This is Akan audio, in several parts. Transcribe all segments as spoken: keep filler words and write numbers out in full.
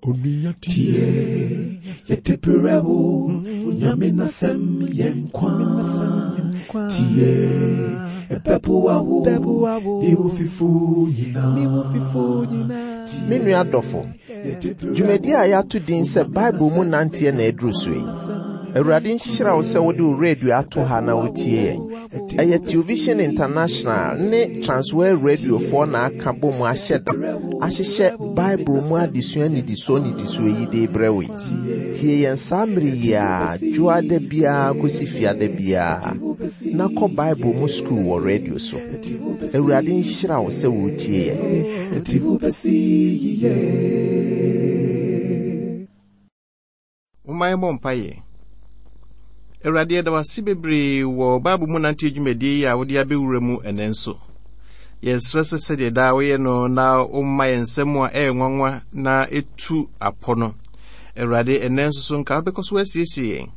Tie, yɛde brɛ wo, Nyame n'asɛm yɛ nkwa. Tie, ɛbɛboa wo, ne wo fifo nyinaa. Me nua dɔfo, dwumadi a yɛato din sɛ Bible mu nanteɛ na aduru so yi. Awurade nhyira wo sɛ wode wo radio ato ha na wotie yɛn. Ɛyɛ Television International ne Transworld Radiofoɔ na aka bɔ mu ahyɛ da ahyehyɛ Bible mu adesua nnidisoɔ nnidisoɔ yi de brɛ wo yi. Tie yɛn saa mmere yi a dwoada biara kɔsi fiada biara na kɔ Bible mu sukuu wɔ radio so. Awurade nhyira wo sɛ woretie yɛn. Ɛde wo bɛsi yiye. Momma yɛmmɔ mpaeɛ. Awurade, yɛda wo ase bebree wɔ Bible mu nante dwumadie yi a wode abɛwura mu ɛnɛ nso. Yɛsrɛ sɛ sɛdeɛ daa woyɛ no na womma yɛn nsɛm a ɛyɛ nwanwa na ɛtu apɔ no. Awurade, ɛnɛ nso so nka wobɛkɔ so asiesie yɛn,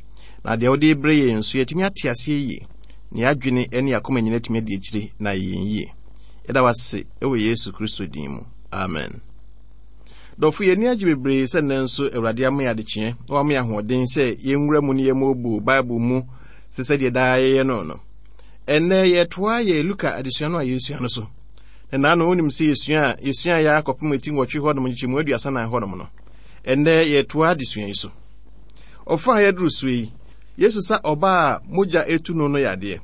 na deɛ wode brɛ yɛn nso yɛatumi ate aseɛ yie, na yɛadwene ne yɛakoma nyina atumi adi akyire na ayɛ yɛn yie. Yɛda wo ase ɛwɔ Yesu Kristo din mu. Amen. Dɔfo, yɛn ani agye bebree sɛ nnɛ nso Awurade ama yɛn adekyeɛ na wama yɛn ahoɔden sɛ yɛnwura mu ne yɛmmɔbu Bible mu te sɛ deɛ daa yɛyɛ no no. Ɛnnɛ yɛtoa yɛ Luka adesua no a yɛsua no so. Na naano wonim sɛ yɛsua a yɛsua yɛ akɔpem eti nwɔtwe hɔnom nkyekyɛmu aduasa nan hɔnom no. Ɛnnɛ yɛtoa adesua yi so. Ɔfa a yɛduru so yi, Yesu sa ɔbaa a mogya etu no no yadeɛ.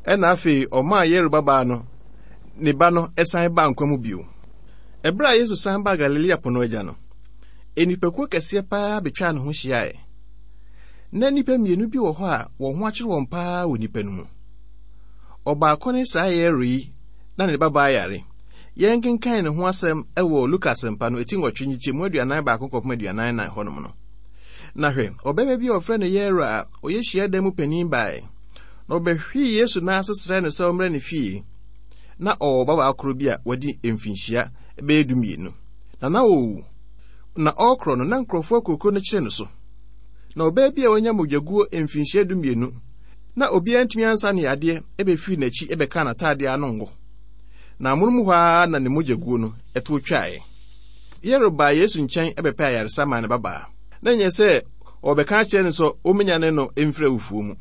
Ɛna afei ɔmaa Yairo babaa no ne ba no ɛsan baa nkwa mu bio. Ɛberɛ a Yesu san baa Galilea po no agya no, nnipakuo kɛseɛ paa betwaa ne ho hyiaeɛ. Na nnipa mmienu bi wɔ hɔ a wɔn ho akyere wɔn paa wɔ nnipa no mu. Ɔbaako ne saa Yairo yi na ne babaa yare. Yɛnkenkan ne ho asɛm wɔ Luka asɛmpa no eti nwɔtwe nkyekyɛmu aduanan baako kɔpem aduanan nan hɔnom no. Na hwɛ, ɔbarima bi a wɔfrɛ no Yairo a ɔyɛ hyiadan mu panin baeɛ. Na ɔbɛhwee Yesu nan ase srɛɛ no sɛ ɔmmrɛ ne fie. Na ɔwɔ babaa koro bi a wadi mfinhyia bɛyɛ dumienu. Na na ɔrewu. Na ɔrekorɔ no, na nkurɔfoɔ akuakuo no kyerɛ no so. Na ɔbaa bi a wanya mogyaguo mfinhyia dumienu, na obiara ntumi ansa ne yadeɛ bɛfiri n'akyi bɛkaa n'ataadeɛ ano ngo. Na amonom hɔ ara na ne mogyaguo no ɛtoɔ twaeɛ. Yairo baa Yesu nkyɛn bɛpɛ ayaresa maa ne babaa. Na nyɛ sɛ ɔbɛka akyerɛ no sɛ ɔmenya no mfiri awufoɔ mu.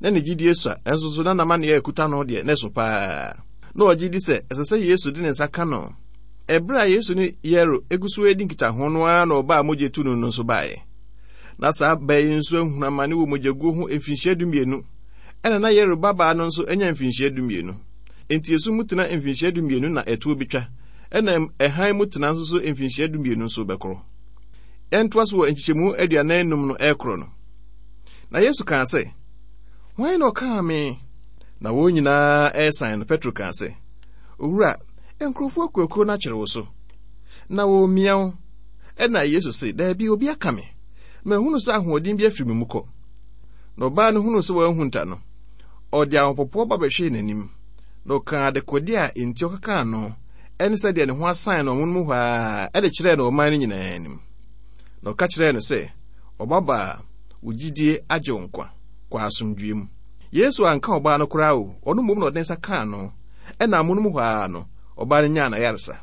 Na ne gyidie sua, ɛnso so na n'amanneɛ a ɛkuta no deɛ ne so paa. Na ɔgye di sɛ ɛsɛ sɛ Yesu de ne nsa ka no. Ɛberɛ a Yesu ne Yairo egu so redi nkitaho no ara na ɔbaa mogya tu no no nso baeɛ. Na saa baa yi nso ahunu amane wɔ mogyaguo ho mfinhyia dumienu. Ɛna na Yairo babaa no nso anya mfinhyia dumienu. Enti esu mu tena mfinhyia dumienu na ɛtoɔ betwa. Ɛna ɛhan mu tena nso so mfinhyia dumienu nso bɛkorɔ. Yɛntoa so wɔ nkyekyɛmu aduanan num no ɛrekorɔ no. Na Yesu kaa sɛ, Hwan na ɔkaa me? Na wɔn nyinaa ɛresan no, Petro kaa sɛ, Owura, nkurɔfoɔ akuakuo no akyere wo so, na wɔremia wo. Ɛna Yesu se, Daabi, obi aka me. Mahunu sɛ ahoɔden bi afiri me mu kɔ. Na ɔbaa no hunuu sɛ wɔahunta no, ɔde ahopopoɔ ba bɛhwee n'anim. Na ɔkaa adekodeɛ a enti ɔkekaa no, ɛne sɛdeɛ ne ho asan no ɔmono mu hɔ ara, ɛde kyerɛɛ no ɔman no nyinaa anim. Na ɔka kyerɛɛ no sɛ, Ɔbabaa, wo gyidie agye wo nkwa, kɔ asomdwoeɛ mu. Yesu anka ɔbaa no koraa o, ɔno mmom na ɔde nsa kaa no. Ɛna amono mu hɔ ara no, ɔbaa no nyaa n'ayaresa.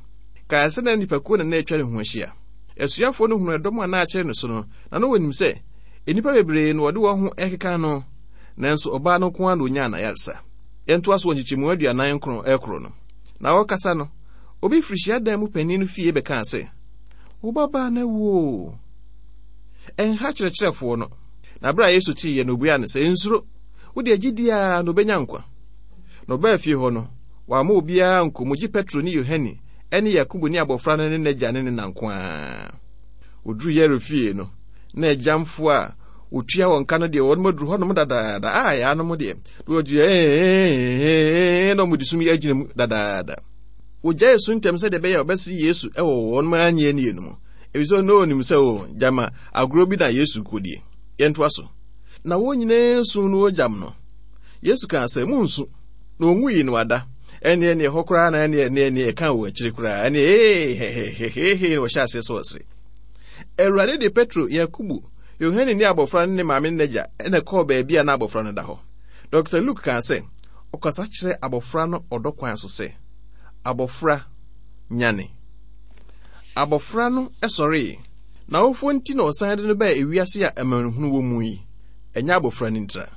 Kae sɛ na nnipakuo na na atwa ne ho ahyia. Asuafoɔ no hunu ɛdɔm a na akyere no so no, na na wɔnim sɛ nnipa bebree na wɔde wɔn ho ɛkeka no, nanso ɔbaa no nko ara na onyaa n'ayaresa. Yɛntoa so wɔ nkyekyɛmu aduanan nkron ɛkoro no. Na ɔrekasa no, obi firi hyiadan mu panin no fie bɛkaa sɛ, Wo babaa no awu o. Ɛnha kyerɛkyerɛfoɔ no. Na bere a Yesu teeɛ no, obuaa no sɛ, Nsuro, wo deɛ gye di ara na obenya nkwa. Na ɔbaa fie hɔ no, wamma obiara nkɔ mu gye Petro ne Yohane ne Yakobo ne abɔfra no ne n'agya ne ne na nko ara. Wɔduruu Yairo fie no, na agyamfoɔ a wɔtua wɔn ka no deɛ wɔn aduru hɔnom dadaada. A yɛanom deɛ, na wɔgyina ee na wɔde sum yi agyina mu dadaada. Wɔgyae su ntɛm sɛdeɛ ɛbɛyɛ a wɔbɛse Yesu wɔ wɔn anyɛ nie no mu. Efisɛ na onim sɛ o gyama agorɔ bi na Yesu kɔdie. Yɛntoa so. Na wɔn nyinaa su no wɔgyam no. Yesu kaa sɛ, Monsu. Na ɔnwui no ada. Ɛneɛ neɛ ɛhɔ koraa na ɛneɛ neɛ neɛ ɛka wɔ akyire koraa. Ɛneɛ ee hehehehe na wɔhyɛ aseɛ sɛ ɔsere. Awurade de Petro, Yakobo, Yohane ne abɔfra no ne maame ne n'agya ɛna kɔɔ baabi a na abɔfra no da hɔ. Dɔkta Luke kaa sɛ, ɔkasa kyerɛ abɔfra no ɔdɔ kwan so sɛ, Abɔfra, nyane. Abɔfra no sɔree, N'awofoɔ nti na ɔsan de no baa ewiase a amanehunu wɔ mu yi. Ɛnyɛ abɔfra no ntira.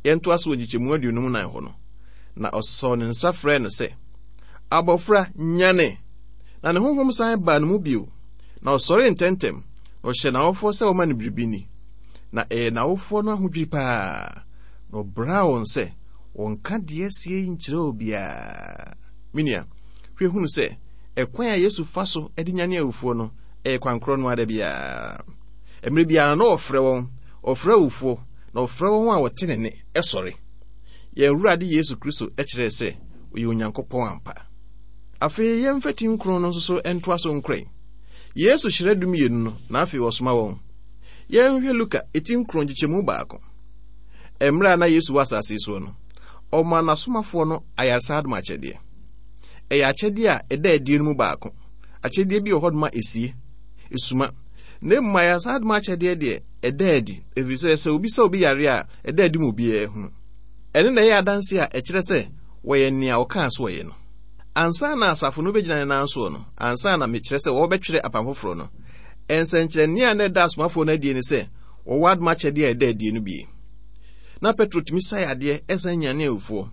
Yɛntoa so wɔ nkyekyɛmu aduonum nan hɔ no. Na ɔsɔɔ ne nsa frɛɛ no sɛ, "Abɔfra, nyane!" Na ne honhom san baa ne mu bio. Na ɔsɔree ntɛmntɛm, na ɔhyɛɛ n'awofoɔ sɛ wɔma no biribi nni. Na ɛyɛ n'awofoɔ no ahodwiri paa. Na ɔbraa wɔn sɛ wɔnka deɛ asie yi nkyerɛ obiara. Me nua, hwɛ hunu sɛ ɛkwan a Yesu fa so de nyane awufoɔ no ɛyɛ kwan korɔ no ara biara. Mmerɛ biara na ɔfrɛ wɔn, ɔfrɛ awufoɔ, na ɔfrɛ wɔn a wɔte ne nne sɔre. Yɛn Awurade Yesu Kristo kyerɛɛ sɛ ɔyɛ Onyankopɔn ampa. Afei yɛmfa ti nkron no nso so ntoa so nkorɛ. Yesu hyerɛ dumienu no, na afei ɔsoma wɔn. Yɛnhwɛ Luka eti nkron nkyekyɛmu baako. Mmerɛ a na Yesu wɔ asase yi soɔ no, ɔmaa n'asomafoɔ no ayaresa adom akyɛdeɛ. Ɛyɛ akyɛdeɛ a ɛda adie no mu baako. Akyɛdeɛ bi wɔ hɔ nom a esie, esuma. Na mmom ayaresa adom akyɛdeɛ deɛ ɛda adi, ɛfiri sɛ sɛ obi sɛ obi yare a, ɛda adi ma obiara hunu. Ɛno na ɛyɛ adanse a ɛkyerɛ sɛ wɔyɛ nea ɔkaa so wɔyɛ no. Ansa na asafo no bɛgyina ne nan soɔ no, ansa na mekyerɛ sɛ wɔbɛtwerɛ apam foforɔ no, nsɛnkyerɛnne a na ɛda asomafoɔ no adie ne sɛ wɔwɔ adom akyɛdeɛ a ɛda adie no bie. Na Petro tumi sa yadeɛ ɛsan nyane awufoɔ.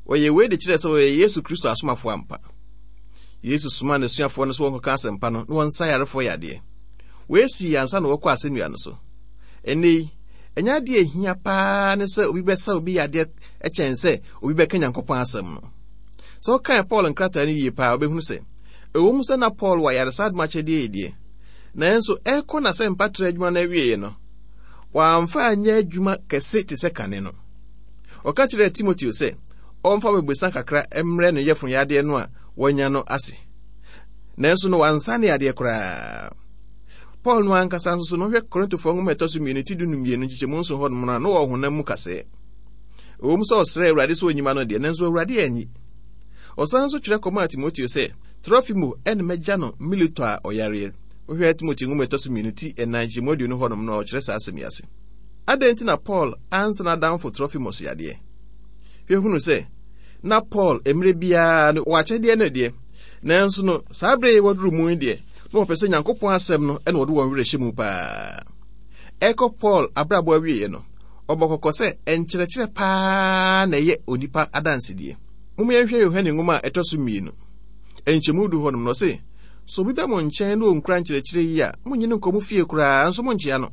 Wɔyɛ wei de kyerɛ sɛ wɔyɛ Yesu Kristo asomafoɔ ampa. Yesu somaa n'asuafoɔ no sɛ wɔnkɔka asɛmpa no na wɔnsa yarefoɔ yadeɛ. Wei sii ansa na wɔkɔ asɛnnua no so. Ɛnnɛ yi, ɛnyɛ adeɛ a ɛhia paa ne sɛ obi bɛsa obi yadeɛ kyɛn sɛ obi bɛka Nyankopɔn asɛm no. Sɛ wokan Paul nkrataa no yie paa, wobɛhunu sɛ ɛwɔ mu sɛ na Paul wɔ ayaresa adom akyɛdeɛ yi deɛ, nanso ɛrekɔ n'asɛmpa trɛ adwuma no awieeɛ no, wamfa anyɛ adwuma kɛse te sɛ kane no. Ɔka kyerɛɛ Timoteo sɛ ɔmfa bobesa kakra mmrɛ ne yɛfo yadeɛ no a wanya no ase. Nanso no wansa ne yadeɛ koraa. Paul no ankasa nso so no, hwɛ Korintofoɔ nwoma ɛtɔ so mmienu ti du mmienu nkyekyɛmu nson hɔ nom no a na ɔwɔ honam mu kasɛɛ. Ɛwɔ mu sɛ ɔsrɛɛ Awurade sɛ onyima no deɛ, nanso Awurade anyi. Ɔsan nso twerɛ kɔmaa Timoteo sɛ, Trofimo ɛne mɛgya no Mileto a ɔyareɛ. Wohwɛ Timoteo nwoma ɛtɔ so mmienu ti ɛnan nkyekyɛmu aduonu hɔ nom no a ɔkyerɛ saa asɛm yi ase. Adɛn nti na Paul ansa n'adamfo Trofimos yadeɛ? Hwɛ hunu sɛ na Paul mmerɛ biara no wɔ akyɛdeɛ no deɛ, nanso no saa berɛ yi wɔduru mu yi deɛ, na wɔpɛ sɛ Nyankopɔn asɛm no ɛna wɔde wɔn werɛ hyɛ mu paa. Ɛkɔ Paul abrabɔ awieeɛ no, ɔbɔ kɔkɔ sɛ nkyerɛkyerɛ paa na ɛyɛ onipa adansedie. Mom yɛnhwɛ Yohane nwoma a ɛtɔ so mmienu nkyɛmu du hɔnom no, ɔse, sɛ obi bɛ mo nkyɛn na ɔnkura nkyerɛkyerɛ yi a, monnye no nkɔ mo fie koraa, nso monkyea no.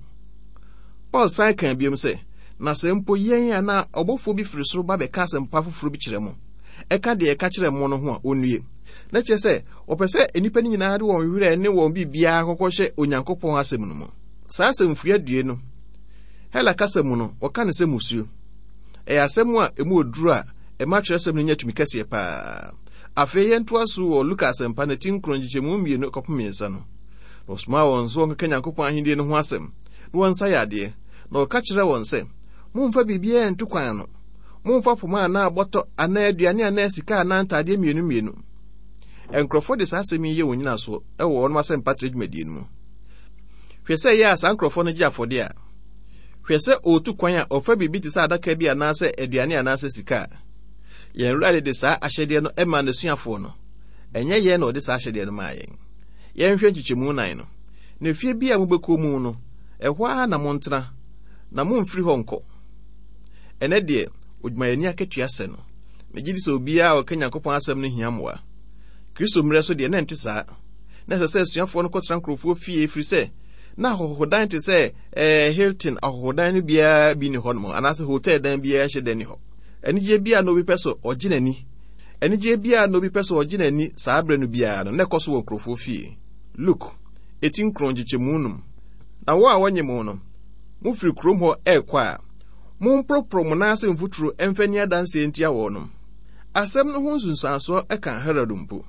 Paul san kaa biom sɛ, na sɛ mpo yɛn anaa ɔbɔfoɔ bi firi soro ba bɛka asɛmpa foforɔ bi kyerɛ mo, ɛka deɛ ɛka kyerɛ mo no ho a, ɔnnue. Na kyerɛ sɛ, wɔpɛ sɛ nnipa no nyinaa de wɔn werɛ ne wɔn biribiara kɔkɔ hyɛ Onyankopɔn asɛm no mu. Saa asɛmfua due no, Hela kasa mu no, wɔka no sɛ musuo. Ɛyɛ asɛm a emu oduru a ɛma twerɛsɛm no nya tumi kɛseɛ paa. Afei yɛntoa so wɔ Luka asɛmpa no ti nkron nkyekyɛmu mmienu kɔpem mmiɛnsa no. Na ɔsomaa wɔn nso wɔnkɔka Nyankopɔn ahennie no ho asɛm, na wɔnsa yadeɛ. Na ɔka kyerɛɛ wɔn sɛ, mommfa biribiara ntu kwan ano. Mommfa poma anaa bɔtɔ anaa aduane anaa sika anaa ntadeɛ mmienu mmienu. Nkurɔfoɔ de saa asɛm yi yɛ wɔn nyinasoɔ wɔ wɔn asɛmpa trɛ dwumadie no mu. Hwɛ sɛ ɛyɛ a saa nkurɔfoɔ no gye afɔdeɛ a. Hwɛ sɛ ɔretu kwan a ɔfa biribi te sɛ adaka bi anaasɛ aduane anaasɛ sika a. Yɛn Awurade de saa ahyɛdeɛ no maa n'asuafoɔ no. Ɛnyɛ yɛn na ɔde saa ahyɛdeɛ no maa yɛn. Yɛnhwɛ nkyekyɛmu nan no. Na fie bi a mobɛkɔ mu no, ɛhɔ ara na montena, na momfiri hɔ nkɔ. Ɛnɛ deɛ, odwumayɛni akatua sɛ no. Megye di sɛ obiara a ɔka Nyankopɔn asɛm no hia mmoa. Kristo mmerɛ so deɛ, na ɛnte saa. Na ɛsɛ sɛ asuafoɔ no kɔtena nkurɔfoɔ fie ɛfiri sɛ na ahɔhodan te sɛ eh, Hilton ahɔhodan no biara bi ni hɔ nom anaasɛ hotel dan biara nhyɛ da ni hɔ. Anigyeɛ biara na obi pɛ sɛ ɔgye n'ani. Anigyeɛ biara na obi pɛ sɛ ɔgye n'ani saa berɛ no biara no, na ɛkɔ so wɔ nkurɔfoɔ fie. Luke, eti nkron nkyekyɛmu num. Na wɔn a wɔnye mo no, mofiri kurom hɔ ɛrekɔ a, momporoporo mo nan ase mfuturo mfa nni adanseɛ ntia wɔnom. Asɛm no ho nsunsuansoɔ ka Herod mpo.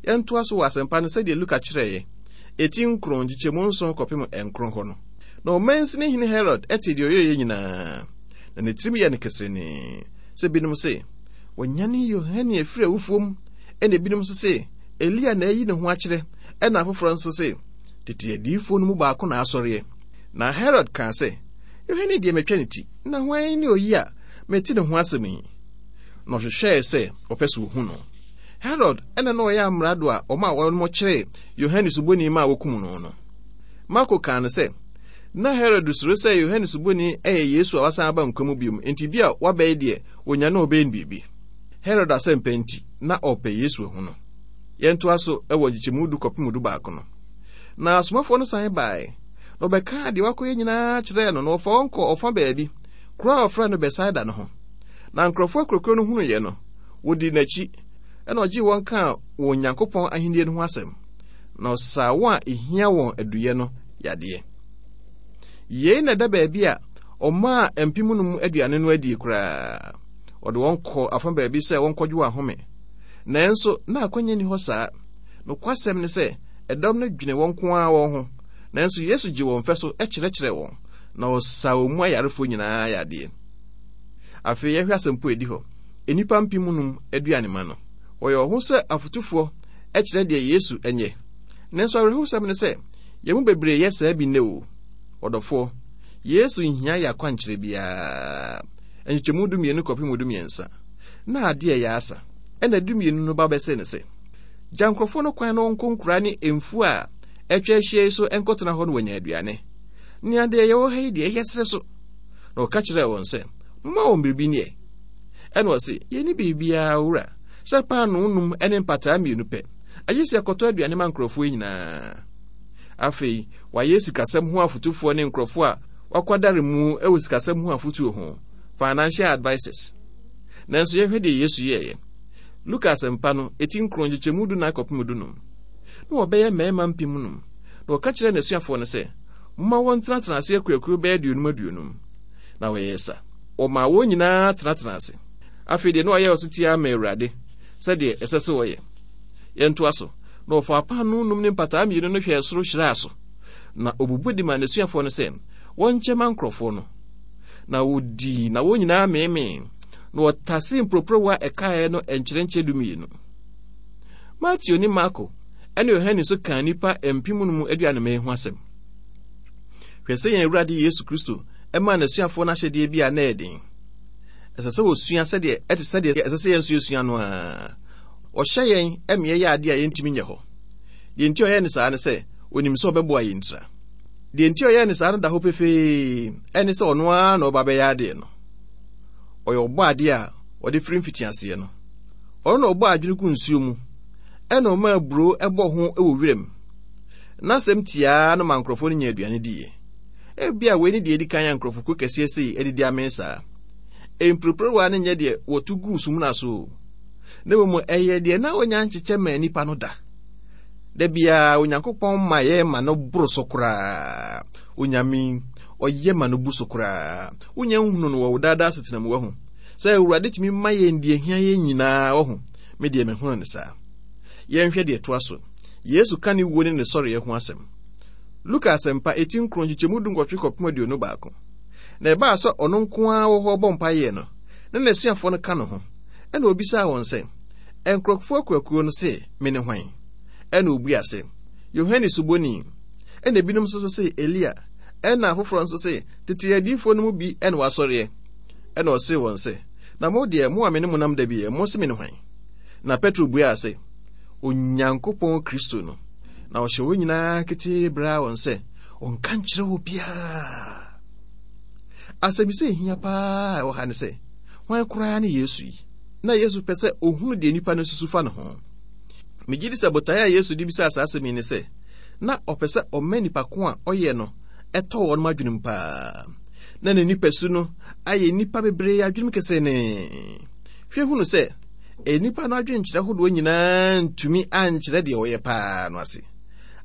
Yɛntoa so wɔ asɛmpa no sɛdeɛ Luka kyerɛeɛ, eti nkron nkyekyɛmu nson kɔpem nkron hɔ no. Na ɔmansini hene Herod tee deɛ ɔyɛeɛ nyinaa, na ne tirim yɛɛ no keserenee, sɛ binom se, wɔanyane Yohane afiri awufoɔ mu, ɛna ebinom nso se, Elia na ayi ne ho akyerɛ, ɛna afoforɔ nso se, tete adiyifoɔ no mu baako na asɔreɛ. Na Herod kaa sɛ, Yohane deɛ matwa ne ti, na hwan ne oyi a mete ne ho asɛm yi? Na ɔhwehwɛɛ sɛ ɔpɛ sɛ ohu no. Herod ɛna na ɔyɛ amrado a ɔma wɔn kyeree Yohane Suboni ma wokum no no. Marko kaa no sɛ, na Herod suro sɛ Yohane Suboni yɛ Yesu a wasan aba nkwa mu bio, enti bi a wabɛyɛ deɛ onya na ɔbɛyɛ no biribi. Herod asɛmpa nti, na ɔpɛ Yesu ahu no. Yɛntoa so wɔ nkyekyɛmu du kɔpem du baako no. Na asomafoɔ no san baeɛ, na ɔbɛkaa deɛ wakɔyɛ nyinaa kyerɛɛ no, na wɔfa wɔn kɔ ɔfa baabi, kuro a wɔfrɛ no Bethsaida no ho. Na nkurɔfoɔ akurokuo no hunuiɛ no, wɔdii n'akyi, ɛna ɔgyee wɔn kaa wɔn Nyankopɔn ahennie no ho asɛm, na ɔsaa wɔn a ehia wɔn aduyɛ no yadeɛ. Yei na ɛda baabi a ɔmaa mpem no aduane no adie koraa. Ɔde wɔn kɔ afa baabi sɛ wɔnkɔgye wɔn ahome. Nanso na akwanya nni hɔ saa. Nokwasɛm ne sɛ, ɛdɔm no dwene wɔn nko ara wɔn ho. Nanso Yesu gye wɔn fɛ so kyerɛkyerɛ wɔn, na ɔsaa wɔn mu ayarefoɔ nyinaa yadeɛ. Afei yɛhwɛ asɛmpo a ɛdi hɔ. Nnipa mpem num aduane ma no. Wɔyɛ wɔn ho sɛ afotufoɔ kyerɛ deɛ Yesu nyɛ. Nanso awerɛhosɛm ne sɛ, yɛn mu bebree yɛ saa bi nnɛ o. Ɔdɔfoɔ, Yesu nhia yɛ akwankyerɛ biara. Nkyekyɛmu dumienu kɔpem dumiɛnsa. Na adeɛ yɛ asa. Ɛna dumienu no ba bɛsɛ ne sɛ, gya nkurɔfoɔ no kwan na wɔnkɔ nkura ne mfuo a atwa ahyia yi so nkɔtena hɔ no wɔanya aduane. Nea deɛ yɛwɔ ha yi deɛ ɛyɛ serɛ so. Na ɔka kyerɛɛ wɔn sɛ, momma wɔn biribi neɛ. Ɛna ɔse, yɛnni biribiara owura, sɛ paanoo num ne mpataa mmienu pɛ. Agye sɛ yɛkɔtɔ aduane ma nkurɔfoɔ yi nyinaa. Afei, wɔayɛ sikasɛm ho afotufoɔ ne nkurɔfoɔ a wakwadare mu wɔ sikasɛm ho afotuo ho, financial advisors. Nanso yɛhwɛ deɛ Yesu yɛeɛ. Luka asɛmpa no, eti nkron nkyekyɛmu du nan kɔpem dunum. Na wɔbɛyɛ mmarima mpem num. Na ɔka kyerɛɛ n'asuafoɔ no sɛ, momma wɔntenatena ase akuakuo bɛyɛ aduonum aduonum. Na wɔyɛɛ sa. Wɔmaa wɔn nyinaa tenatena ase. Afei deɛ na ɔyɛ ɔsotie ama Awurade sɛdeɛ ɛsɛ sɛ ɔyɛ. Yɛntoa so. Na ɔfaa paanoo num ne mpataa mmienu no hwɛɛ soro hyiraa so. Na obubu de maa n'asuafoɔ no sɛ wɔnkyɛ ma nkurɔfoɔ no. Na wɔdii na wɔn nyinaa meemee. Na wɔtasee mporoporowa a ɛkaeɛ no nkyerɛnkyɛ dumienu. Mateo ne Marko ɛne Yohane nso kaa nnipa mpem no mu aduanemee ho asɛm. Hwɛ sɛ yɛn Awurade Yesu Kristo ɛmaa n'asuafoɔ no ahyɛdeɛ bi a na ɛyɛ den. Ɛsɛ sɛ wɔsua sɛdeɛ ɛte sɛdeɛ ɛsɛ sɛ yɛn nso yɛsua no ara. Ɔhyɛ yɛn ɛma yɛyɛ adeɛ a yɛntumi nyɛ hɔ. Deɛ nti a ɔyɛɛ ne saa ne sɛ, onim sɛ ɔbɛboa yɛn ntira. Deɛ nti a ɔyɛɛ ne saa no da hɔ pefee, ɛne sɛ ɔno ara na ɔba bɛyɛ adeɛ no. Ɔyɛ ɔbɔ adeɛ a ɔde firi mfitiaseɛ no. Ɔno na ɔbɔ adwene gu nsuo mu, ɛna ɔma aburo ɛbɔ ho wɔ wiram. N'asɛm tiaa no ma nkurɔfoɔ no nya aduane diiɛ. Ebia wei ne deɛ edi kan a nkurɔfokuo kɛseɛ sei adidi amee saa. Mporoporowa no nyɛ deɛ wɔto guu sumina so, na mmom ɛyɛ deɛ na wɔnya nkyekyɛ ma nnipa no da. Da biara Onyankopɔn ma yɛ ma no boro so koraa. Onyame ɔyɛ ma no bu so koraa. Wonya nhunu no wɔ wo daadaa asetena mu wahu sɛ Awurade tumi ma yɛn deɛ hia yɛn nyinaa wahu. Me deɛ mehunu ne saa. Yɛnhwɛ deɛ ɛtoa so. Yesu ka ne wuo ne ne sɔreɛ ho asɛm. Luka asɛmpa eti nkron nkyekyɛmu du nwɔtwe kɔpem aduonu baako. Na ɛbaa sɛ ɔno nko ara wɔ hɔ bɔ mpaeɛ no, na n'asuafoɔ no ka ne ho. Ɛna obisaa wɔn sɛ, nkurɔfoɔ akuakuo no se me ne hwan? Ɛna obua sɛ, Yohane Suboni. Ɛna ebinom nso se Elia. Ɛna afoforɔ nso se tete adiyifoɔ no mu bi ɛna wasɔreɛ. Ɛna ɔsee wɔn sɛ, na mo deɛ mo a me ne mo nam da bi yɛ, mo se me ne hwan? Na Petro buaa sɛ, Onyankopɔn Kristo no. Na ɔhyɛ wɔn nyinaa ketee braa wɔn sɛ ɔnka nkyerɛ obiara. Asɛmmisa ehia paa ɛwɔ ha ne sɛ, hwan koraa ne Yesu yi? Na Yesu pɛ sɛ ohunu deɛ nnipa no susu fa ne ho. Megye di sɛ botaeɛ a Yesu de bisaa saa asɛm yi ne sɛ, na ɔpɛ sɛ ɔma nnipa ko a ɔyɛ no ɛtɔ wɔn adwenem paa. Na ne nipasu no ayɛ nnipa bebree adwenem kɛsɛnee. Hwɛ hunu sɛ, nnipa no adwenkyerɛ hodoɔ nyinaa ntumi ankyerɛ deɛ ɔyɛ paa no ase.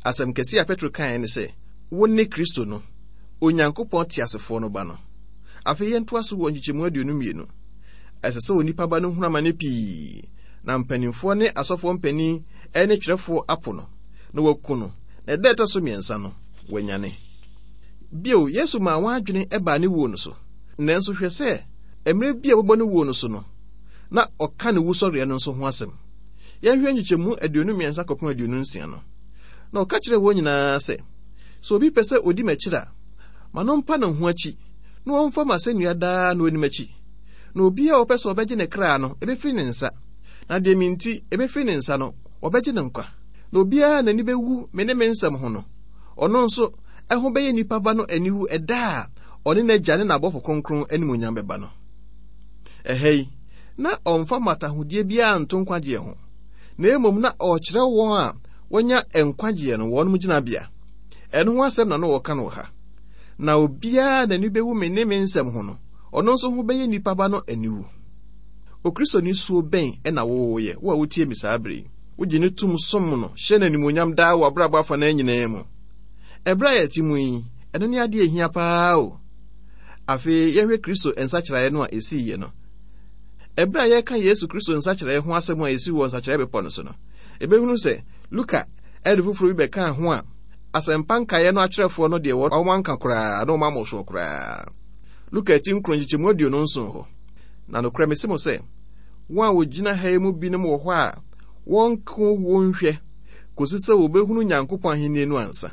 Asɛm kɛse a Petro kaeɛ ne sɛ, wo ne Kristo no, Onyankopɔn teasefoɔ no ba no. Afei yɛntoa so wɔ nkyekyɛmu aduonu mmienu. Ɛsɛ sɛ onipa ba no hunu amane pii, na mpanimfoɔ ne asɔfoɔ mpanin ne twerɛfoɔ apo no, na wɔaku no, na ɛda ɛtɔ so mmiɛnsa no, wanyane. Bio, Yesu maa wɔn adwene baa ne wuo no so. Nanso hwɛ sɛ, mmerɛ bi a wɔbɔ ne wuo no so no, na ɔka ne wusɔreɛ no nso ho asɛm. Yɛnhwɛ nkyekyɛmu aduonu mmiɛnsa kɔpem aduonu nsia no. Na ɔka kyerɛɛ wɔn nyinaa sɛ, sɛ obi pɛ sɛ odi m'akyiri a, ma no mpa ne ho akyi, na ɔmfa m'asɛnnua daa na ɔnni m'akyi. Na obiara a ɔpɛ sɛ ɔbɛgye ne kra no, ɛbɛfiri ne nsa. Na deɛ me nti ɛbɛfiri ne nsa no, wɔbɛgye ne nkwa. Na obiara a n'ani bɛwu me ne me nsɛm ho no, ɔno nso ɛho bɛyɛ nnipa ba no aniwu ɛda a ɔne n'agya ne n'abɔfo kronkron animuonyam bɛba no. Ɛha yi, na ɔmfa mmatahodie biara nto nkwagyeɛ ho, na mmom na ɔrekyerɛ wɔn a wɔanya nkwagyeɛ no wɔn gyinabea. Ɛno ho asɛm na na wɔka no wɔ ha. Na obiara n'ani bɛwu me ne me nsɛm ho no, ɔno nso ho bɛyɛ nnipa ba no aniwu. Okristoni suo bɛn ɛna wowoyɛ, wo a wotie me saa bere yi? Wogye ne tum som no, hyɛ no animuonyam daa wɔ abrabɔ afa no nyinaa mu. Ɛberɛ a yɛte mu yi, ɛno ne adeɛ ehia paa o. Afei yɛhwɛ Kristo nsakyeraeɛ no a ɛsiiɛ no. Ɛberɛ a yɛreka Yesu Kristo nsakyeraeɛ ho asɛm a ɛsi wɔ nsakyeraeɛ bepɔ no so no, ɛbɛhunu sɛ Luka ɛde foforɔ bi bɛkaa ho a asɛmpa nkaeɛ no atwerɛfoɔ no deɛ wɔn anka koraa na wɔn amɔ soɔ koraa. Luka ti nkron nkyekyɛmu aduonu nson hɔ. Na nokorɛ mese mo sɛ, wɔn a wɔgyina ha yi mu binom wɔ hɔ a wɔnko wɔn nhwɛ kɔsi sɛ wɔbɛhunu Nyankopɔn ahenni no ansa.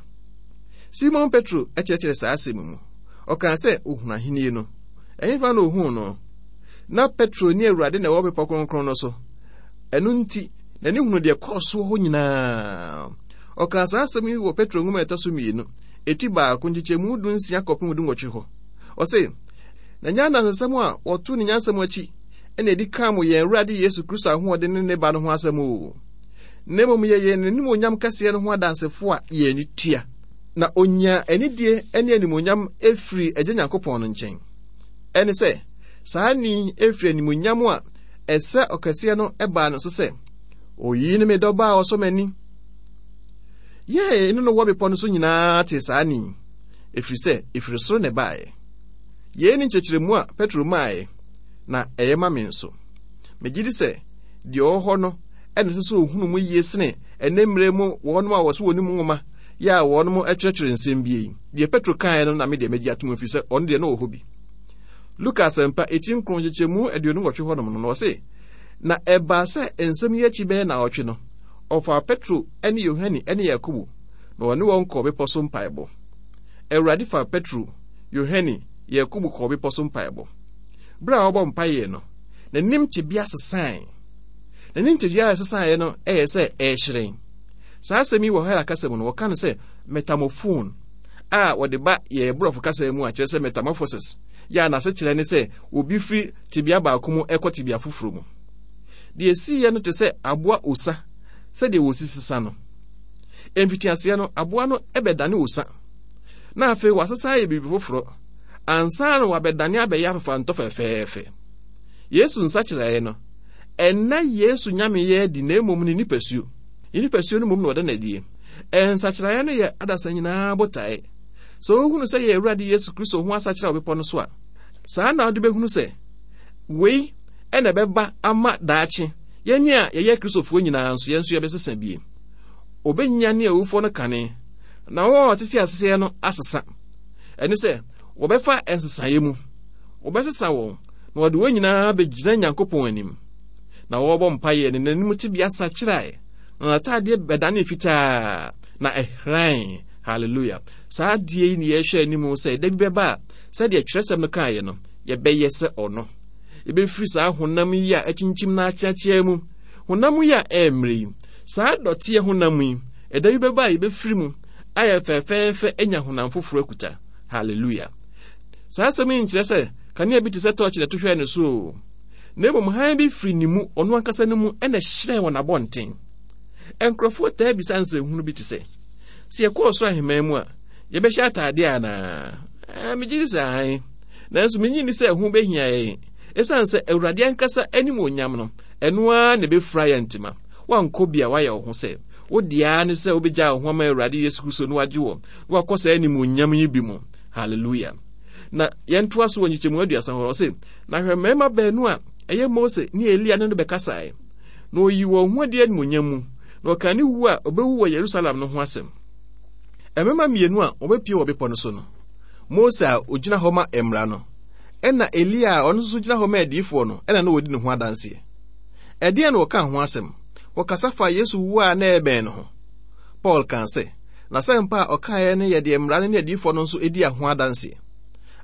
Simon Petro kyerɛkyerɛ saa asɛm mu. Ɔkaa sɛ ohunu ahenni no. Ɛhefa na ohuu no? Na Petro ne Awurade na ɛwɔ bepɔ kronkron no so. Ɛno nti, n'ani hunu deɛ kɔɔ soɔ hɔ nyinaa. Ɔkaa saa asɛm yi wɔ Petro nwoma a ɛtɔ so mmienu, eti baako nkyekyɛmu du nsia kɔpem du nwɔtwe hɔ. Ɔse, na nyɛ anansesɛm a wɔto ne nyansɛm akyi ɛna ɛdi kaa mo yɛn Awurade Yesu Kristo ahoɔden ne ne ba no ho asɛm o. Na mmom yɛyɛ n'animuonyam kɛseɛ no ho adansefo a yɛn ani tua. Na onya anidie ne animuonyam efiri Agya Nyankopɔn no nkyɛn. Ɛne sɛ, saa ni efiri animuonyam a ɛsɛ ɔkɛseɛ no ɛbaa no so sɛ, oyi ne me dɔba a ɔsɔ m'ani. Yɛn ne no wɔ bepɔ no so nyinaa te saa ni, ɛfiri sɛ ɛfiri soro na ɛbaeɛ. Yei ne nkyerɛkyerɛmu a Petro maaeɛ, na ɛyɛ ma me nso. Megye di sɛ deɛ ɔwɔ hɔ no ɛna ɛsɛ sɛ ohunu mu yie sene ɛnɛ mmerɛ mu wɔnom a wɔso wɔn mu nwoma yɛ a wɔnom kyerɛkyerɛ nsɛm bi yi. Deɛ Petro kaeɛ no na me deɛ megye atom ɛfiri sɛ ɔno deɛ na ɔwɔ hɔ bi. Luka asɛmpa eti nkron nkyekyɛmu aduonu nwɔtwe hɔnom no na ɔse, na ɛbaa sɛ nsɛm yi akyi bɛyɛ naawɔtwe no, ɔfaa Petro ne Yohane ne Yakobo na ɔne wɔn kɔɔ bepɔ so mpaebɔ. Awurade faa Petro, Yohane, Yakobo kɔɔ bepɔ so mpaebɔ. Bere a ɔbɔ mpaeɛ no, n'anim tebea sesae. N'anim tebea a ɛsesaeɛ no ɛyɛ sɛ ɛrehyerɛn. Saa asɛm yi wɔ Hela kasa mu no, wɔka no sɛ metamorphone a wɔde ba yɛn borɔfo kasa mu a kyerɛ sɛ metamorphosis, yɛ a n'asekyerɛ ne sɛ obi firi tebea baako mu ɛkɔ tebea foforɔ mu. Deɛ esiiɛ no te sɛ aboa osa sɛdeɛ wɔsi sesa no. Mfitiaseɛ no, aboa no bɛdane osa, na afei wasesa ayɛ biribi foforɔ ansa na wabɛdane abɛyɛ afefantɔ fɛfɛɛfɛ. Yesu nsakyeraeɛ no, ɛnna Yesu nyameyɛ adi na mmom ne nipasuo. Ne nipasuo no mmom na ɔda n'adie. Nsakyeraeɛ no yɛ adasa nyinaa botae. Sɛ wohunu sɛ yɛ Awurade Yesu Kristo ho asakyera wɔ bepɔ no so a, saa na wode bɛhunu sɛ wei ɛna ɛbɛba ama daakye yɛn a yɛyɛ Kristofoɔ nyinaa nso yɛn nso yɛbɛsesa bie. Obɛnya ne awufoɔ no kane, na wɔn a wɔtete aseɛ no asesa. Ɛne sɛ wɔbɛfa nsesaeɛ mu, wɔbɛsesa wɔn na wɔde wɔn nyinaa bɛgyina Nyankopɔn anim. Na wɔrebɔ mpaeɛ ne n'anim tebea sakyerae, na n'ataadeɛ bɛdane fitaa na ɛhran. Hallelujah. Saa adeɛ yi ne yɛhwɛ anim sɛ da bi bɛba a sɛdeɛ twerɛsɛm no kaeɛ no, yɛbɛyɛ sɛ ɔno. Yɛbɛfiri saa honam yi a akyinkyim na akyeakyea mu, honam yi a ɛmmerɛ yi, saa dɔteɛ honam yi, ɛda bi bɛba a yɛbɛfiri mu ayɛ fɛfɛɛfɛ anya honam foforɔ akuta. Hallelujah. Saa asɛm yi nkyerɛ sɛ kanea bi te sɛ tɔɔkye na ɛto hwɛɛ ne so o. Na mmom hann bi firi ne mu, ɔno ankasa no mu, ɛna ɛhyerɛn wɔ n'abɔnten. Nkurɔfoɔ taa bisa nsɛnhunu bi te sɛ, sɛ yɛkɔɔ ɔsoro ahemman mu a, yɛbɛhyɛ ataadeɛ anaa? Ɛɛ, megye di sɛ ae. Nanso menyi ni sɛ ɛho bɛhia yɛn. Ɛsiane sɛ Awurade ankasa animuonyam no, ɛno ara na ɛbɛfura yɛn ntoma. Wankɔ bi a wayɛ wo ho sɛ wo deɛ ne sɛ wobɛgya wo ho ama Awurade Yesu Kristo na wagye wɔ na wakɔ saa animuonyam yi bi mu. Hallelujah. Na yɛntoa so wɔ nkyekyɛmu aduasa hɔ, ɔse, na hwɛ mmarima baanu a ɛyɛ Mose ne Elia ne no bɛkasae, na oyi wɔn ho adi animuonyam mu, na ɔkaa ne wu a ɔbɛwu wɔ Yerusalem no ho asɛm. Mmarima mmienu a wɔbɛpie wɔ bepɔ no so no, Mose a ogyina hɔ ma mmara no, ɛna Elia a ɔno nso gyina hɔ ma adiyifoɔ no, ɛna na wɔdi ne ho adanseɛ. Ɛdeɛn na wɔkaa ho asɛm? Wɔkasa fa Yesu wu a na ɛbɛn no ho. Paul kaa sɛ, n'asɛmpa a ɔkaeɛ no yɛ deɛ mmara no ne adiyifoɔ no nso di ho adanseɛ.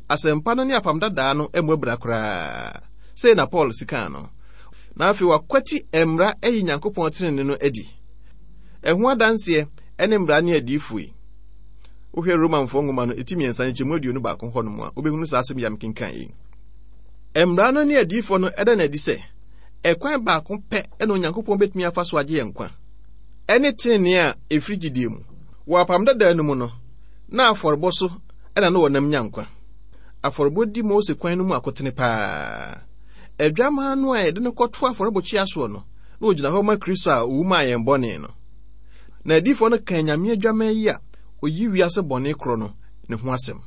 Asɛmpa no ne apam dadaa no mmɔ abira koraa. Sei na Paul si kaa no. Na afei wakwati mmara ayi Nyankopɔn tenenee no adi. Ɛho adanseɛ ne mmara ne adiyifoɔ yi. Wohwɛ Romanfoɔ nwoma no eti mmiɛnsa nkyɛmu aduonu baako hɔ nom a, wobɛhunu saa asɛm yi a mekenkan yi. Mmara no ne adiyifoɔ no ɛda no adi sɛ ɛkwan baako pɛ ɛna Onyankopɔn bɛtumi afa so agye yɛn nkwa, ɛne tenenee a ɛfiri gyidie mu. Wɔ apam dadaa no mu no, na afɔrebɔ so ɛna na wɔnam nya nkwa. Afɔrebɔ di Mose kwan no mu akotene paa. Adwamaa no a yɛde no kɔto afɔrebɔkyia soɔ no, na ogyina hɔ ma Kristo a owu maa yɛn bɔne no. Na adiyifoɔ no kan Nyame adwamaa yi a oyi wiase bɔne korɔ no ne ho asɛm.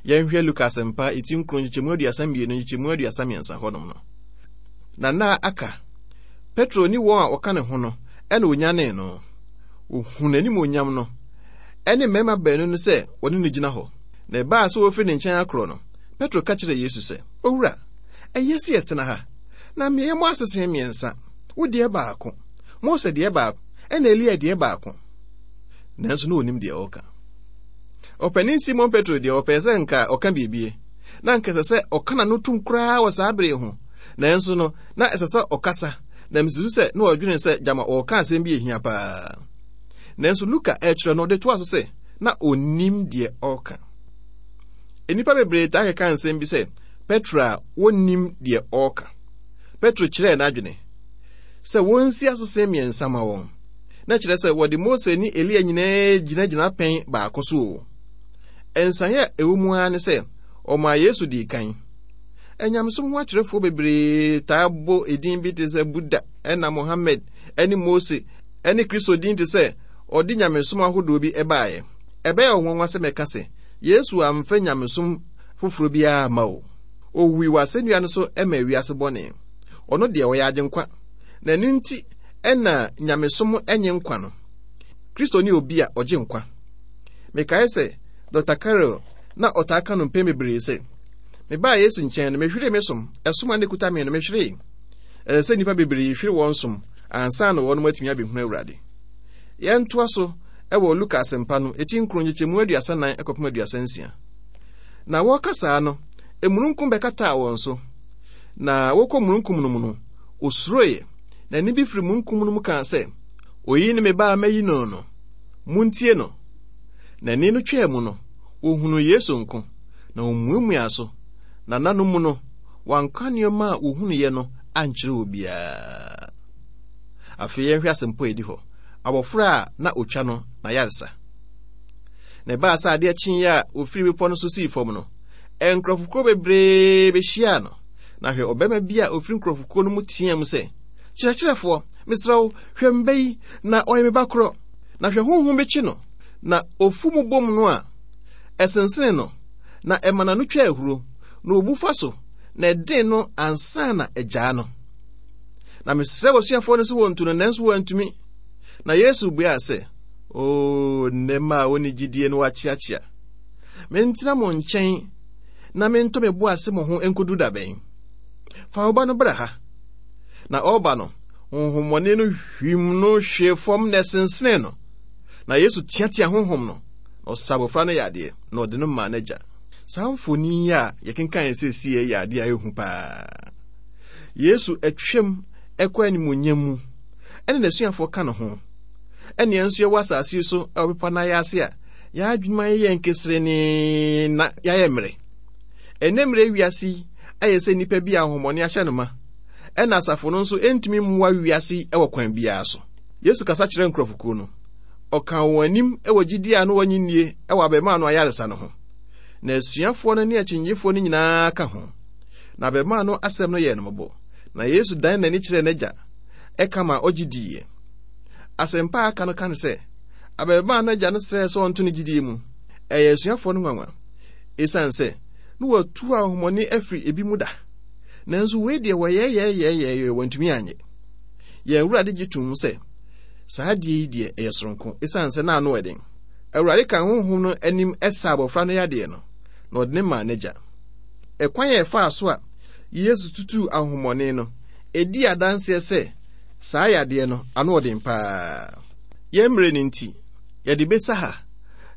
Yɛnhwɛ Luka asɛmpa eti nkron nkyekyɛmu aduasa mmienu nkyekyɛmu aduasa mmiɛnsa hɔnom no. Na na aka Petro ne wɔn a wɔka ne ho no ɛna onyanee no. Ohun n'animuonyam no ɛne mmarima baanu no sɛ wɔne no gyina hɔ. Na ɛbaa sɛ wɔfiri ne nkyɛn akorɔ no, Petro ka kyerɛɛ Yesu sɛ, Owura, ɛyɛ sɛ yɛtena ha, na mmeaeɛ mu asese mmiɛnsa, wo deɛ baako, Mose deɛ baako, ɛna Elia deɛ baako. Nanso na onim deɛ ɔreka. Ɔpanin Simon Petro deɛ ɔpɛɛ sɛ nka ɔka biribi, na nka ɛsɛ sɛ ɔka n'ano tom koraa wɔ saa bere ho. Nanso no, na ɛsɛ sɛ ɔkasa, na misusu sɛ na ɔdwene sɛ gyama ɔreka asɛm bi ehia paa. Nanso Luka ɛkyerɛ no, ɔde toa so sɛ na onim deɛ ɔreka. Nnipa bebree taa keka nsɛm bi sɛ Petro a wonnim deɛ ɔreka. Petro kyerɛɛ n'adwene sɛ wonsi asese mmiɛnsa ma wɔn, na kyerɛ sɛ wɔde Mose ne Elia nyinaa gyinagyina pɛn baako so o. Nsaeɛ a ɛwɔ mu ara ne sɛ ɔmaa Yesu dii kan. Anyamesom ho akyerɛfoɔ bebree taa bɔ edin bi te sɛ Buddha ɛna Mohammed ɛne Mose ɛne Kristo din te sɛ ɔde nyamesom ahodoɔ bi ɛbaeɛ. Ɛbɛyɛ ɔnwanwa sɛ mɛka sɛ Yesu amfa nyamesom foforɔ biara ma o. Owui wɔ asɛnnua no so ɛma wiase bɔne. Ɔno deɛ ɔyɛ agyenkwa, na ɛno nti ɛna nyamesom ɛnye nkwa no. Kristo ne obi a ɔgye nkwa. Mekae sɛ Doctor Carroll na ɔtaa ka no mpɛn bebree sɛ, mebaa Yesu nkyɛn no, mehweree me som, ɛsom a na ekuta me no, mehweree. Ɛsɛ sɛ nnipa bebree hwere wɔn som ansa na wɔn atumi abɛhunu Awurade. Yɛntoa so ɛwɔ Luka asɛmpa no, eti nkron nkyekyɛmu aduasa nan ɛkɔpem aduasa nsia. Na wɔreka saa no, emununkum bɛkataa wɔn so. Na wɔkɔ mununkum no mu no, osuroeɛ, na nne bi firi mununkum no mu kaa sɛ, Oyi ne me ba a mayi no no, muntie no. Na nne no twaa mu no, wɔhunuu Yesu nko, na wɔmuamuaa so, na nna no mu no, wɔanka nneɛma a wɔhunuiɛ no ankyerɛ obiara. Afei yɛnhwɛ asɛmpa a ɛdi hɔ. Abɔfra a na otwa no na yaresa. Na ɛbaa sɛ adeɛ kyeeɛ a wɔfiri bepɔ no so sii fam no, nkurɔfokuo bebree bɛhyiaa no. Na hwɛ, ɔbarima bi a ofiri nkurɔfokuo no mu teaa mu sɛ, Kyerɛkyerɛfoɔ, mesrɛ wo, hwɛ me ba yi, na ɔyɛ me ba korɔ. Na hwɛ, honhom bi kye no, na ofu mu bom no a, ɛsensene no, na ɛma n'ano twa ahuro, na obu fa so, na ɛden no ansa na agyaa no. Na mesrɛ w'asuafoɔ no sɛ wɔntu no, nanso wɔantumi. Na Yesu buaa sɛ, O nnɛ mma a wɔnni gyidie no wɔakyeakyea. Mentena mo nkyɛn na mentɔ me bo ase mo ho nkodu da bɛn? Fa wo ba no bra ha. Na ɔreba no, honhommɔne no hwim no hwee fam na ɛsensene no. Na Yesu teatea honhom no, na ɔsa abɔfra no yadeɛ, na ɔde no maa n'agya. Saa mfoni yi a yɛkenkan seesei yɛ adeɛ a ɛyɛ hu paa. Yesu atwam ɛkɔ animuonyam mu, ɛne n'asuafoɔ ka ne ho. Ɛne yɛn nso yɛwɔ asase yi so ɛwɔ bepɔ no ase a, yɛn adwene ayɛ yɛn keserenee na yɛayɛ mmerɛ. Ɛnnɛ mmerɛ wiase yi ayɛ sɛ nnipa bi a ahonhommɔne ahyɛ no ma, ɛna asafo no nso ntumi mmoa wiase yi wɔ kwan biara so. Yesu kasa kyerɛ nkurɔfokuo no. Ɔkaa wɔn anim wɔ gyidie a na wɔnnye nnie wɔ abarimaa no ayaresa no ho. Na asuafoɔ no ne akyinnyegyefoɔ no nyinaa ka ho. Na abarimaa no asɛm no yɛɛ no mmɔbɔ. Na Yesu dan n'ani kyerɛɛ n'agya, ɛka ma ɔgye diiɛ. Asɛmpa a aka no ka no sɛ, abarimaa no agya no srɛɛ sɛ ɔnto ne gyidie mu. Ɛyɛ asuafoɔ no nwanwa, esiane sɛ na wɔatu ahonhommɔne afiri ebi mu da. Nanso wei deɛ wɔyɛyɛyɛyɛyɛ wɔntumi anyɛ. Yɛn Awurade gye tom sɛ saa adeɛ yi deɛ ɛyɛ soronko, esiane sɛ na ano ɛden. Awurade ka honhom no anim ɛsa abɔfra no yadeɛ no, na ɔde ne maa n'agya. Ɛkwan a ɛfaa so a Yesu tutuu ahonhommɔne no, ɛdi adanseɛ sɛ saa yadeɛ no ano ɔden paa. Yɛn mmerɛ no nti, yɛde bɛsa ha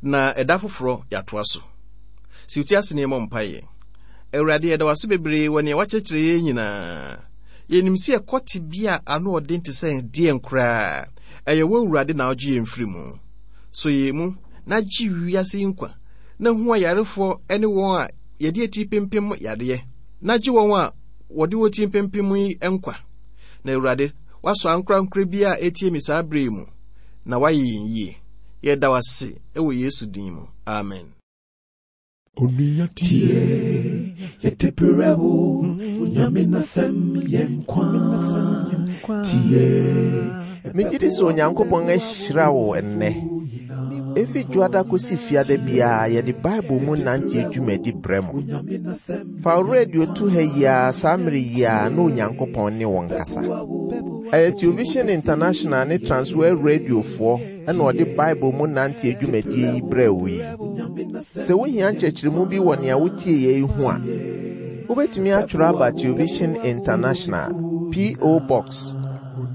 na ɛda foforɔ yɛatoa so. Si wo ti ase na yɛmmɔ mpaeɛ. Awurade, yɛda wo ase bebree wɔ nea woakyerɛkyerɛ yɛn nyinaa. Yɛnim sɛ yɛkɔ tebea a ano ɔden te sɛ deɛn koraa, ɛyɛ wo Awurade na wogye yɛn firi mu. So yɛn mu Na gye wiase yi nkwa, na hu ayarefoɔ ne wɔn a yɛde ati pempem yadeɛ, na gye wɔn a wɔde wɔn ti mpempem yi nkwa. Na Awurade, woasɔ ankorankora bi a etie me saa bere yi mu, na woayɛ yɛn yie. Yɛda wo ase wɔ Yesu din mu. Amen. Onua tie, yɛde brɛ wo, Onyame n'asɛm yɛ nkwa. Tie, Megye di sɛ Onyankopɔn ahyira wo ɛnnɛ. Efi dwoada kosi fiada biara yɛde Bible mu nante dwumadi brɛ mo. Fa wo radio to ha yi ara saa mmere yi ara na Onyankopɔn ne wo nkasa. Ɛyɛ Television International ne Transworld Radiofoɔ ɛna ɔde Bible mu nante dwumadie yi brɛ wo yi. Sɛ wohia nkyerɛkyerɛmu bi wɔ nea wotie yɛ yi ho a, wobɛtumi atwerɛ aba Television International, P O. Box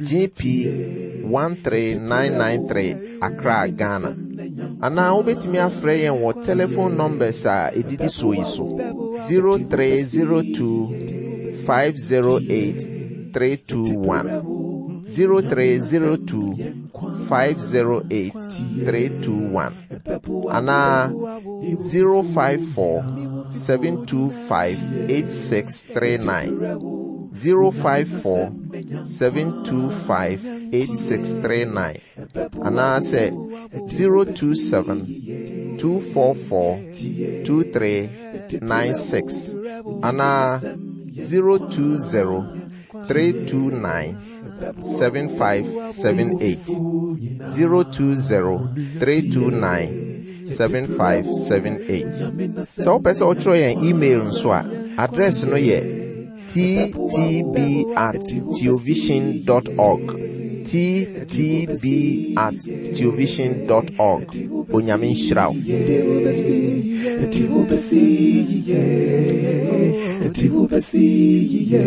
G P one three nine nine three, Accra, Ghana. Anaa wobɛtumi afrɛ yɛn wɔ telephone numbers a ɛdidi soɔ yi so: zero three zero two five zero eight three two one, zero three zero two five zero eight three two one, anaa zero five four seven two five eight six three nine, zero five four seven two five eight six three nine, anaasɛ zero two seven two four four two three nine six, anaa zero two zero three two nine seven five seven eight, zero two zero three two nine seven five seven eight. Sɛ wopɛ sɛ wotwerɛ yɛn email nso a, address no yɛ T T B at theovision dot org, T T B at theovision dot org. Onyame nhyira wo. Yɛde wobɛsi, yɛde wobɛsi yie, yɛde wobɛsi yie.